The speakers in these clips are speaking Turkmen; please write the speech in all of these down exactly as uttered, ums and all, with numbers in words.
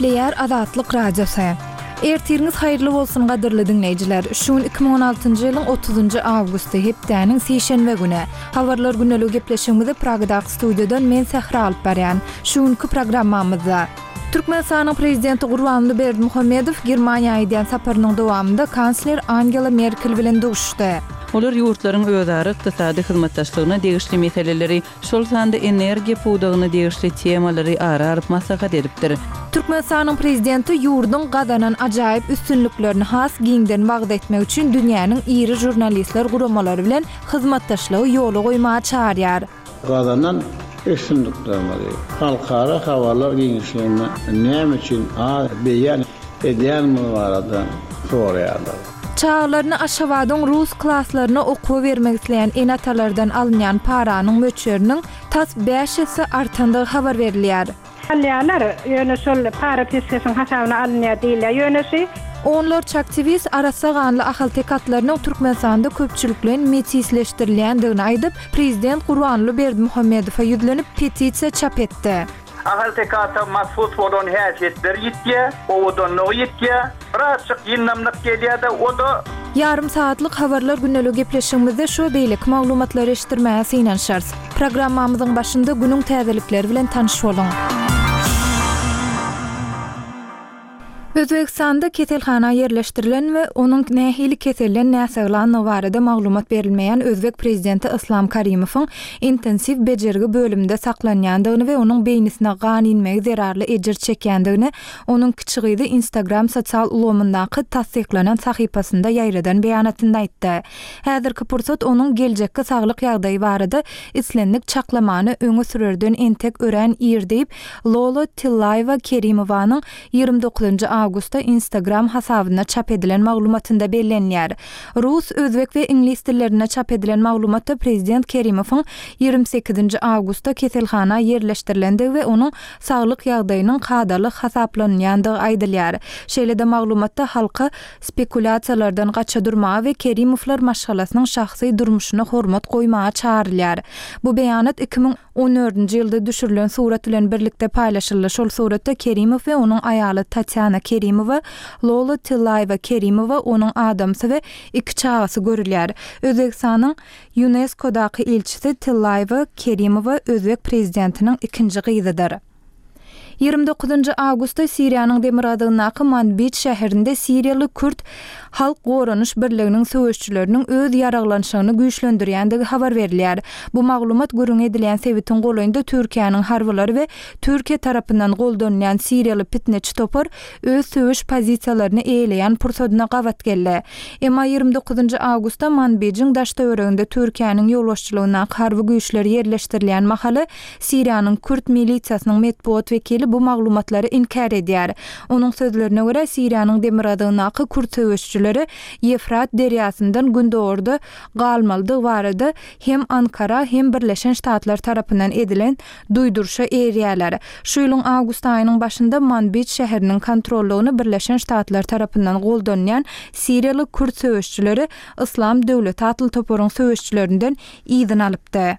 Gepleýär Azatlyk Radiosy. Ertiriňiz haýyrly bolsun gadyrly diňleýjiler. Şu gün iki müň on altynjy ýylyň otuzynjy awgusty, hepdäniň sişenbe güni. Habarlar gündeligi gepleşigimizi Pragadaky studiýadan men Sähra alyp barýan. Şu günki programmamyzda Türkmenistanyň Prezidenti Gurbanguly Berdimuhamedow Germaniýa edýän saparynyň dowamynda kansler Angela Merkel bilen duşuşdy. Olar ýurtlaryň özara ykdysady hyzmatdaşlygyna degişli meseleleri, şol sanda energiýa pudagyna degişli temalary ara alyp maslahat edipdir. Türkmenistanyň Prezidenti ýurduň gazanan ajaýyp üstünliklerini has giňden wagyz etmek üçin dünýäniň iri žurnalistler guramalary bilen hyzmatdaşlygy ýola goýmaga çagyrýar. Gazanan üstünliklerimizi halkara habarlar giňişliginde näme üçin az beýan edýänimiz barada soraýarlar. Çagalaryny Aşgabadyň rus klaslaryna okuwa bermek isleýän ene-atalardan alynýan paranyň möçberiniň tas bäş esse artandygy habar berilýär. Alýarlar, ýöne şol para peşgeşiň hasabyna alynýar diýilýär. Ýöne şu Onlarça aktiwist arassa ganly ahalteke atlarynyň Türkmenistanda köpçülikleýin metisleşdirilýändigini aýdyp, prezident Gurbanguly Berdimuhamedowa ýüzlenip petisiýa çap etdi. Ahalteke ata mahsus bolan häsiýetleri ýitýär, owadanlygy ýitýär, birazjyk ýyndamlyk gelýär-de, o-da Ýarym saatlyk habarlar gündeligi gepleşigimizde şu beýleki maglumatlary eşitdirmäge synanyşarys. Programmamyzyň başynda günüň täzelikleri bilen tanyş boluň. Özbegistanda keselhana ýerleşdirilen we onuň nähili keselden näsaglandygy barada maglumat berilmeýän özbek prezidenti Islam Karimowyň intensiw bejergi bölüminde saklanýandygyny we onuň beýnisine gan inmegi zerarly ejir çekýändigini onuň kiçi gyzy Instagram sosial ulgamyndaky tassyklanan sahypasynda ýaýradan beýanatynda aýtdy. Häzirki pursat onuň geljekki saglyk ýagdaýy barada islendik çaklamany öňe sürerden entek örän ir diýip, Lola Tillaýewa Kerimowanyň ýigrimi dokuzynjy awgustda Instagram hasabynda çap edilen maglumatynda bellenýär. Rus, özbek we iňlis dillerinde çap edilen maglumatda prezident Kerimowyň ýigrimi sekizinji awgustda keselhana ýerleşdirilendigi we onuň saglyk ýagdaýynyň kadaly hasaplanýandygy aýdylýar. Şeýle-de maglumatda halka spekulýasiýalardan gaça durmaga we Kerimowlar maşgalasynyň şahsy durmuşyna hormat goýmaga çagyrylýar. Bu beýanat iki müň on dördünji ýylda düşürilen surat bilen birlikde paýlaşyldy. Şol suratda Kerimow we onuň aýaly Tatýana Kerimowa, Lola Tillaýewa Kerimowa, onuň adamsy we iki çagasy görülýär. Özbegistanyň UNESCO-daky ilçisi Tillaýewa Kerimowa özbek prezidentiniň ikinji gyzydyr. Ýigrimi dokuzynjy awgustda Siriýanyň demirgazygyndaky Manbij şäherinde siriýaly kürt halk goranyş birliginiň söweşçileriniň öz ýaraglanşygyny güýçlendirýändigi habar berilýär. Bu maglumat gürrüň edilýän sebitiň golaýynda Türkiýäniň harbylary we Türkiýe tarapyndan goldanylýan siriýaly pitneçi topar öz söweş pozisiýalaryny eýeleýän pursadyna gabat geldi. Emma ýigrimi dokuzynjy awgustda Manbijiň daş-töwereginde Türkiýäniň ýolbaşçylygyndaky harby güýçler ýerleşdirilýän mahaly Siriýanyň kürt milisiýasynyň metbugat wekili bu maglumatlary inkär edýär. Onuň sözlerine görä, Siriýanyň demirgazygyndaky kürt söweşçileri Ýefrat derýasyndan gündogarda galmalydygy barada hem Ankara, hem Birleşen Ştatlar tarapyndan edilen duýduryşa eýerýärler. Şu ýylyň awgust aýynyň başynda Manbij şäheriniň kontrollygyny Birleşen Ştatlar tarapyndan goldanýan siriýaly kürt söweşçileri Yslam döwleti atly toparyň söweşçilerinden yzyny alypdy.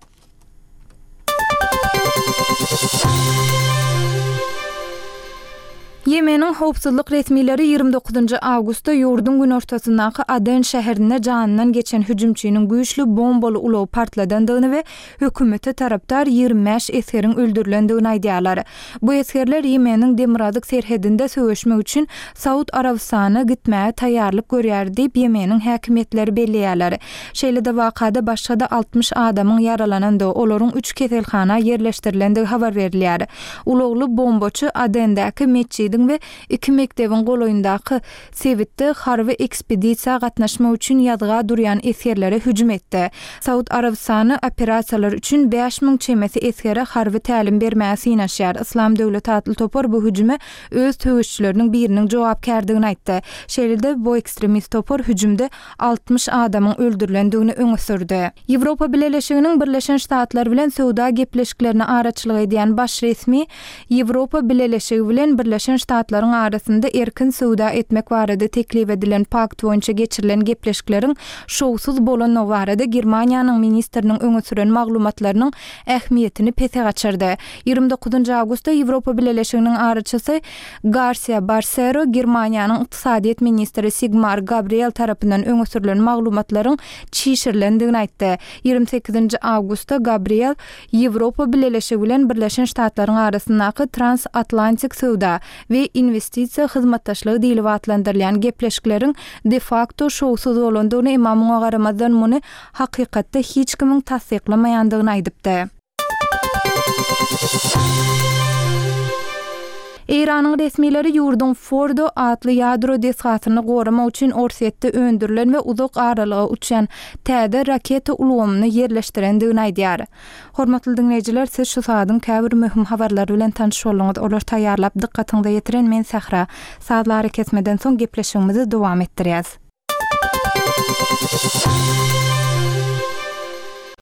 Ýemeniň howpsuzlyk resmileri ýigrimi dokuzynjy awgustda ýurduň günortasyndaky Aden şäherinde janyndan geçen hüjümçiniň güýçli bombaly ulagy partladandygyny we hökümete tarapdar ýigrimi bäş esgeriň öldürilendigini aýdýarlar. Bu esgerler Ýemeniň demirgazyk serhedinde söweşmek üçin Saud Arabystanyna gitmäge taýýarlyk görýär diýip, Ýemeniň häkimiýetleri belleýärler. Şeýle-de wakada başga-da altmyş adamyň ýaralanandygy, olaryň üç keselhana ýerleşdirilendigi habar berilýär. Ulagly bombaçy Adendäki metjidiň we iki mekdebiň golaýyndaky sebitde harby ekspedisiýa gatnaşmak üçin ýazga durýan esgerlere hüjüm etdi. Saud Arabystany operasiýalar üçin bäş müň çemesi esgere harby tälim bermäge synanyşýar. Yslam döwleti atly topar bu hüjüme öz söweşçileriniň biriniň jogapkärdigini aýtdy. Şeýle-de bu ekstremist topar hüjümde altmyş adamyň öldürilendigini öňe sürdi. Ýewropa Bileleşiginiň Birleşen Ştatlar bilen söwda gepleşiklerine araçylyk edýän baş resmi Ýewropa Bileleşigi bilen Birleşen Ştatlaryň arasynda erkin söwda etmek barada teklip edilen pakt boýunça geçirilen gepleşikleriň şowsuz bolandygy barada Germaniýanyň ministriniň öňe süren maglumatlarynyň ähmiýetini pese gaçyrdy. Ýigrimi dokuzynjy awgustda Ýewropa Bileleşiginiň araçysy Garsiýa Barsero Germaniýanyň ykdysadyýet ministri Sigmar Gabriel tarapyndan öňe sürlen maglumatlaryň çişirilendigini aýtdy. Ýigrimi sekizinji awgustda Gabriel Ýewropa Bileleşigi bilen Birleşen Ştatlaryň arasyndaky transatlantik söwda we inwestisiýa hyzmatdaşlygy diýlip atlandyrylýan gepleşikleriň de-fakto şowsuz bolandygyny, emma muňa garamazdan muny hakykatda hiç kimiň tassyklamaýandygyny aýdypdy. Eýranyň resmileri ýurduň Fordo atly ýadro desgasyny goramak üçin Orsýetde öndürilen we uzak aralyga uçýan täze raketa ulgamyny ýerleşdirendigini aýdýar. Hormatly diňleýjiler, siz şu sagadyň käbir möhüm habarlary bilen tanyş bolduňyz. Olary taýýarlap dykgatyňyza ýetiren men Sähra. Sazly arakesmeden soň gepleşigimizi dowam etdirýäs.